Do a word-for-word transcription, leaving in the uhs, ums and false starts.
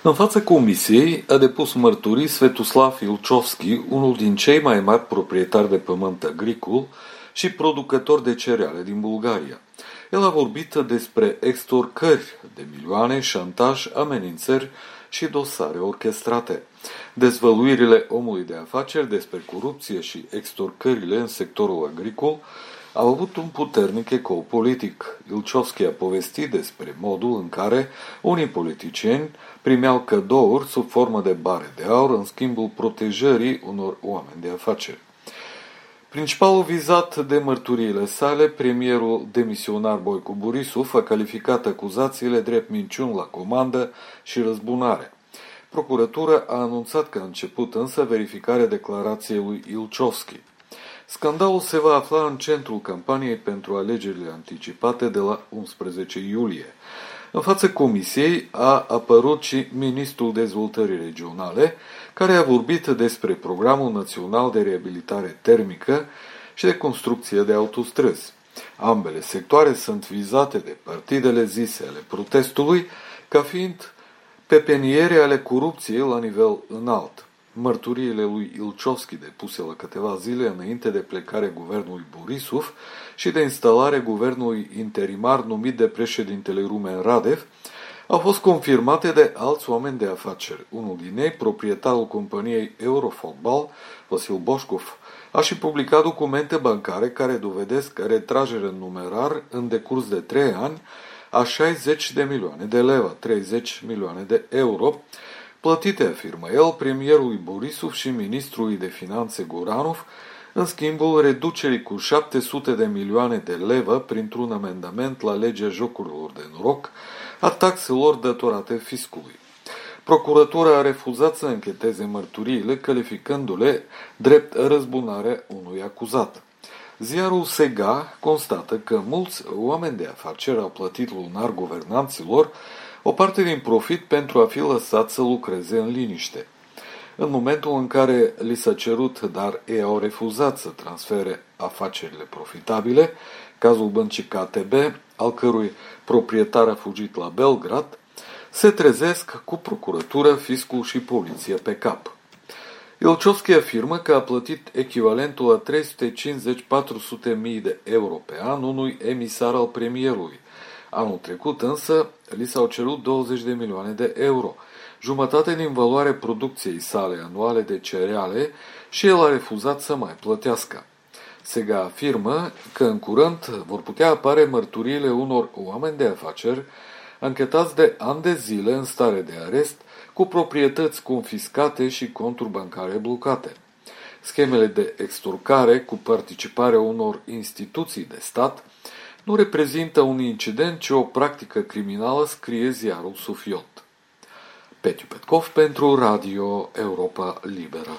În fața comisiei a depus mărturii Svetoslav Ilchovski, unul din cei mai mari proprietari de pământ agricol și producător de cereale din Bulgaria. El a vorbit despre extorcări de milioane, șantaj, amenințări și dosare orchestrate. Dezvăluirile omului de afaceri despre corupție și extorcările în sectorul agricol au avut un puternic ecou politic. Ilchovski a povestit despre modul în care unii politicieni primeau cadouri sub formă de bare de aur în schimbul protejării unor oameni de afaceri. Principalul vizat de mărturiile sale, premierul demisionar Boico Borisov, a calificat acuzațiile drept minciuni la comandă și răzbunare. Procuratura a anunțat că a început însă verificarea declarației lui Ilchovski. Scandalul se va afla în centrul campaniei pentru alegerile anticipate de la unsprezece iulie. În fața comisiei a apărut și ministrul dezvoltării regionale, care a vorbit despre Programul Național de Reabilitare Termică și de construcție de autostrăzi. Ambele sectoare sunt vizate de partidele zise ale protestului ca fiind pepeniere ale corupției la nivel înalt. Mărturiile lui Ilchovski depuse la câteva zile înainte de plecarea guvernului Borisov și de instalarea guvernului interimar numit de președintele Rumen Radev au fost confirmate de alți oameni de afaceri. Unul din ei, proprietarul companiei Eurofotbal, Vasil Boșcov, a și publicat documente bancare care dovedesc retragerea în numerar în decurs de trei ani a șaizeci de milioane de leva, treizeci milioane de euro, plătite, afirmă el, premierului Borisov și ministrului de finanțe Goranov, în schimbul reducerii cu șapte sute de milioane de leva printr-un amendament la legea jocurilor de noroc a taxelor datorate fiscului. Procuratura a refuzat să încheteze mărturiile, calificându-le drept răzbunarea unui acuzat. Ziarul Sega constată că mulți oameni de afaceri au plătit lunar guvernanților o parte din profit pentru a fi lăsat să lucreze în liniște. În momentul în care li s-a cerut, dar ei au refuzat să transfere afacerile profitabile, cazul băncii K T B, al cărui proprietar a fugit la Belgrad, se trezesc cu procuratură, fiscul și poliția pe cap. Ilchovski afirmă că a plătit echivalentul a trei sute cincizeci - patru sute mii de euro pe an unui emisar al premierului. Anul trecut însă li s-au cerut douăzeci de milioane de euro, jumătate din valoarea producției sale anuale de cereale, și el a refuzat să mai plătească. Sega afirmă că în curând vor putea apare mărturiile unor oameni de afaceri anchetați de ani de zile în stare de arest, cu proprietăți confiscate și conturi bancare blocate. Schemele de extorcare cu participarea unor instituții de stat nu reprezintă un incident, ci o practică criminală, scrie ziarul Sofiot. Petiu Petkov pentru Radio Europa Liberă.